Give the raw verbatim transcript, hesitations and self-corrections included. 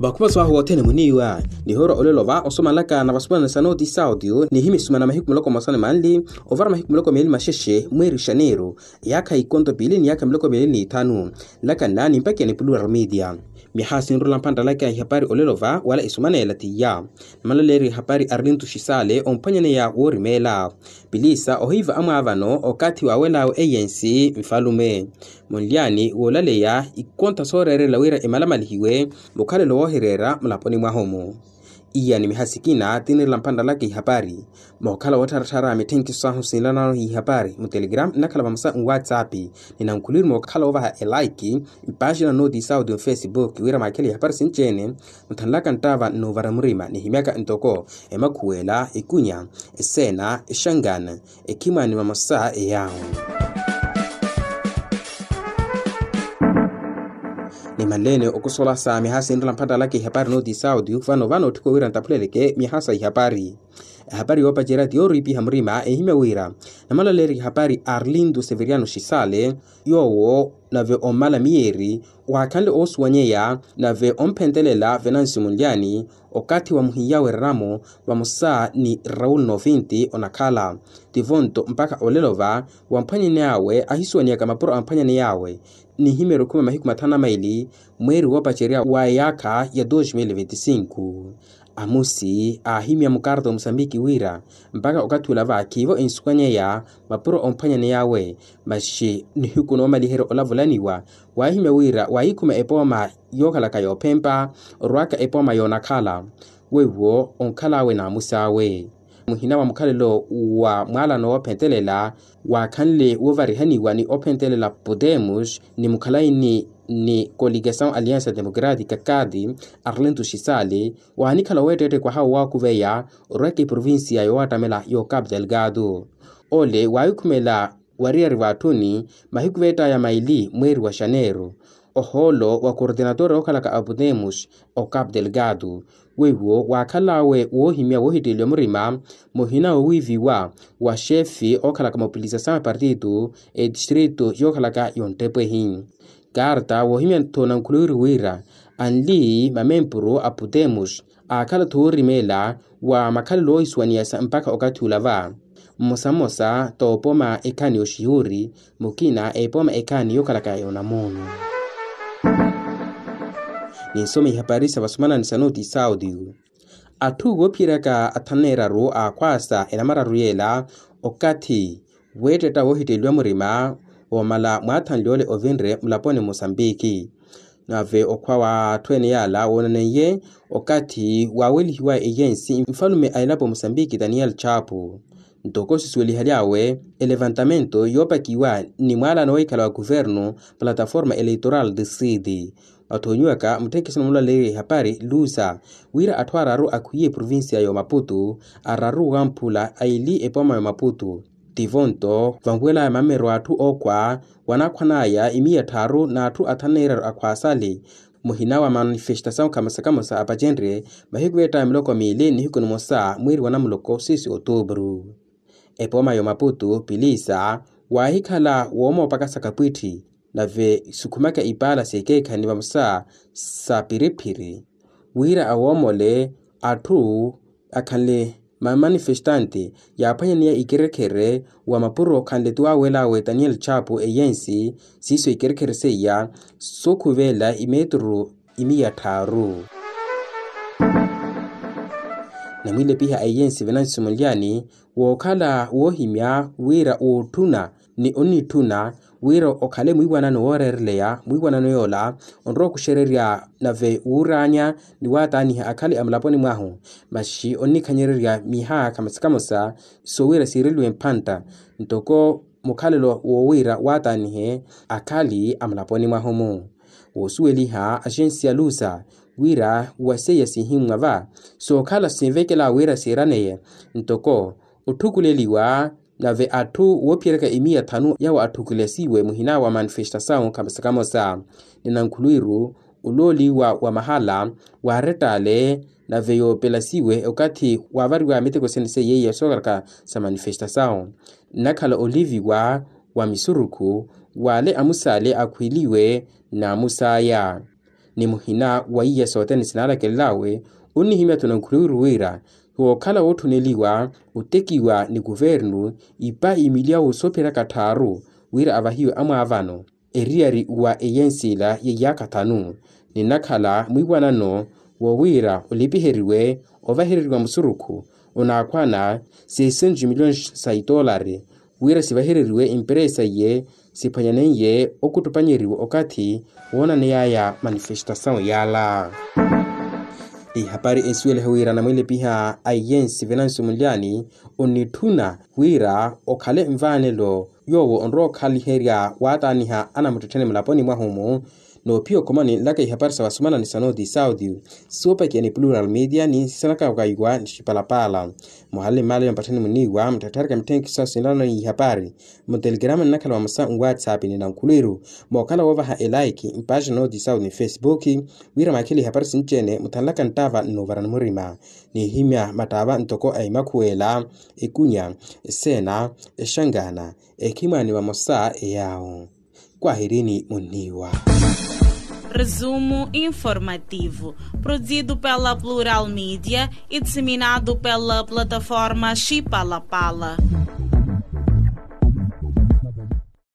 Okhuma swaahu wothene muniiwa nihoorwa olelo va osomalaka na vasumanani sa nooti sautiyu nihimi sumana mahiku muloko mosani manli ovara mahiku muloko meeli maxexe mweeri xaneeru. Yaakha ikonto piili ni yaakha miloko miili n'ithanu. Nlaka nnaani mpakha ya nipulural media. Miyaha sinrula mphantta laka ihapari olelo va wala esumaneela t'iya. Namalaleeriwa ihapari arlintu xisale omphwanyaneya woorimeela. Pilisa ohiiva amwaavano okathi waawel'awe eyensi nfalume. Munlyaani woolaleya ikonta sooreerela wira emalamalihiwe mukhalelo woohireera mulaponi mwahu-mu. Iya ni miha sikina tinirela mphantta laka ihapari. Mookhala woottharatthara mitthenkiso ahu sinlanano ihapari mu telegram nnakhala vamosa nwatsapp. Ninankhuliru mookhala woovaha elaiki mpaaxina nooti sauti mfacebook wira maakhele ihapari sinci-ene. Nthanlaka nttaava nnuuvara murima nihimyaka ntoko emakhuwela ikunya eseena exangana ekhimwaani vamosa eyaawo. Nimanleene okusola sa miha sinrela mphantta laka ihapari nooti sauti vano vano otthiko wira nttaphuleleke miha sa ihapari. Ehapari yoopacerya ti yooriipiha murima ehimya wira namalaleeriwa ihapari arlindo severiano xisale yoowo nave ommala miyeeri waakhanle oosuwanyeya nave omphentelela venansi munlyaani okathi wa muhiya wereramo vamosa ni raul novinti onakhala tivonto mpakha olelo va wamphwanyaney'awe ahisuwaneyaka mapuro amphwanyaney'awe. Nihimeerya okhuma mahiku mathanu na maili mweeri woopacerya wa eyaakha ya dos mil vinti cinco. Amusi aahimya mukarta omusambiki wira mpakha okathi ula va khiivo ensukanyeya mapuro omphwanyaney'awe. Maxi nihiku noomaliherya olavulaniwa waahimya wira waahikhuma epooma yookhalaka yoophempa orwaaka epooma yoonakhala weiwo onkhal'awe n'amus'awe. Muhina wa mukhalelo wa mwaalano woophentelela waakhanle woovarihaniwa ni ophentelela podemos ni mukhalaini ni coligasaw aliansa democratica cad arlento xisale waanikhala oweetteette kwaha owaakuveya orwaka eprovincia yoowattamela y'ocapo delgado. Ole waahikhumela wariyari v'atthuni mahiku veett'aya maili mweeri wa xaneeru ohoolo wa coordinator yookhalaka apodemos ocapo delgado weiwo waakhal'awe woohimya woohitteeliwa murima muhina woowiiviwa wa xefe ookhalaka mobilisasaw ya partitu etistrito yookhalaka yonttepo ehi. Karta woohimya-tho nankhuliwiri wira anli mamempuru a podemos aakhala-tho woorimeela wa makhalelo oohisuwaniyasa mpakha okathi ula va mmosa mmosa t'opoma ekhaani oxihuri mukina epoma ekhaani yookhalaka yonamuunu. Ninsoma ihapari sa vasumanani sa nooti sauti. Atthu woophiyeryaka athanu neeraru aakhwaasa enamararu yeela okathi weettetta woohitteeliwa murima woomala mwaathanly'ole ovinre mulaponi mosambiki. Nave okhwa w'atthu ene yaala woonaneiye okathi waawelihiwa eyensi nfalume a elapo mosambiki daniel chapo. Ntoko sisuwelihaly'awe elevantamento yoopakiwa ni mwaalano woohikhala wa kuvernu plataforma eleitoral de sidi. Wathoonyiwaka mutthekiso na mulaleeriwa ihapari lusa wira atthu araru akhwiye eprovincia y'omaputu araru wamphula aili epooma y'omaputu. Tivo nto vanwel'aya mammero a atthu ookhwa wanaakhwan'aya imiya tthaaru n'atthu athanu neeraru akhwaasale muhina wa manifestasawu khamosa khamosa apacenrye mahiku veett'aya miloko miili nihiku nimosa mwiiri wa namuloko siiso otuupuru. Epooma y'omaputu pilisa waahikhala woomoopakasa kapwitthi nave sukhumaka ipaala s'ekeekhayi ni vamosa sa piriphiri wira awoomole atthu akhanle mamanifestante yaaphwanyaneya ikerekhere wa mapuro khanle ti waawel'awe daniel chapo eyensi siiso ikerekhere seiya sookhuveela imeturu imiya tthaaru. Namwiilepiha a eyensi venansi munlyani wookhala woohimya wira wootthuna ni onnitthuna wira okhale mwiiwanano wooreereleya mwiiwanano yoola onrowa okuxererya nave wuuraanya ni waataaniha akhale a mulaponi mwahu. Maxi onnikhanyererya miha khamosa khamosa sowira siireliwe mphantta ntoko mukhalelo woowira waataanihe akhali a mulaponi mwahu-mu. Woosuweliha axensi ya lusa wira wa seiya siihimmwa va sookhala sinvekela wira siiraneye ntoko otthukuleliwa nave atthu woophiyeryaka imiya thanu yawo atthukulesiwe muhina wa manifestasawu khamosa khamosa. Ni nankhulwiru olooliwa wa mahala waarettaale nave yoopelasiwe okathi waavariwa miteko sene seiya sookaraka sa manifestasawu nnakhala oliviwa wa misurukhu w'ale amusaale akhwiiliwe n'amusaaya. ni muhina wa iya sothene sinalakelelawe, onnihimya-tho nankhuliru wira wookhala woothoneliwa otekiwa ni kuvernu ipa imiliya woosopheraka tthaaru wira avahiwe amwaavano. Eriyari wa eyensi ila yeiyaaka thanu ninakhala mwiiwanano wowiira olipiheriwe ovahereriwa musurukhu onaakhwana seiscentos milhões sa itoolari wira sivahereriwe emperesa iye siphwanyaneiye okuttupanyeriwa okathi woonaneyaya manifestasawu yala. Ihapari ensuwelihe wira anamwilepiha a eyensi venansi munlyani onnitthuna wira okhale nvaanelo yoowo onrowa okhaliherya waataaniha anamuttettheni mulaponi mwahu-mu. Noophiya okhomani nlaka ihapari sa vasumana ni sa nooti saudi soopakiya ni plural media ni sisanaka kaiwa ni xipalapala. Muhale mmaale ya mpatthani muniiwa muttetthereke mitthenkhi sa sinlana ni ihapari mutelegrama nnakhala vamosa nwatsapp ni nankhulwiru mookhala woovaha elaiki mpaaxi nooti saudi ni facebook wira maakhile ihapari sinci-ene muthanlaka nttaava nnoovarani murima. Niihimya mattaava ntoko a imakhuwela ekunya eseena exangana ekhimwaani vamosa eyaawo. Kwahirini munniiwa. Resumo informativo, produzido pela plural media e disseminado pela plataforma xipalapala.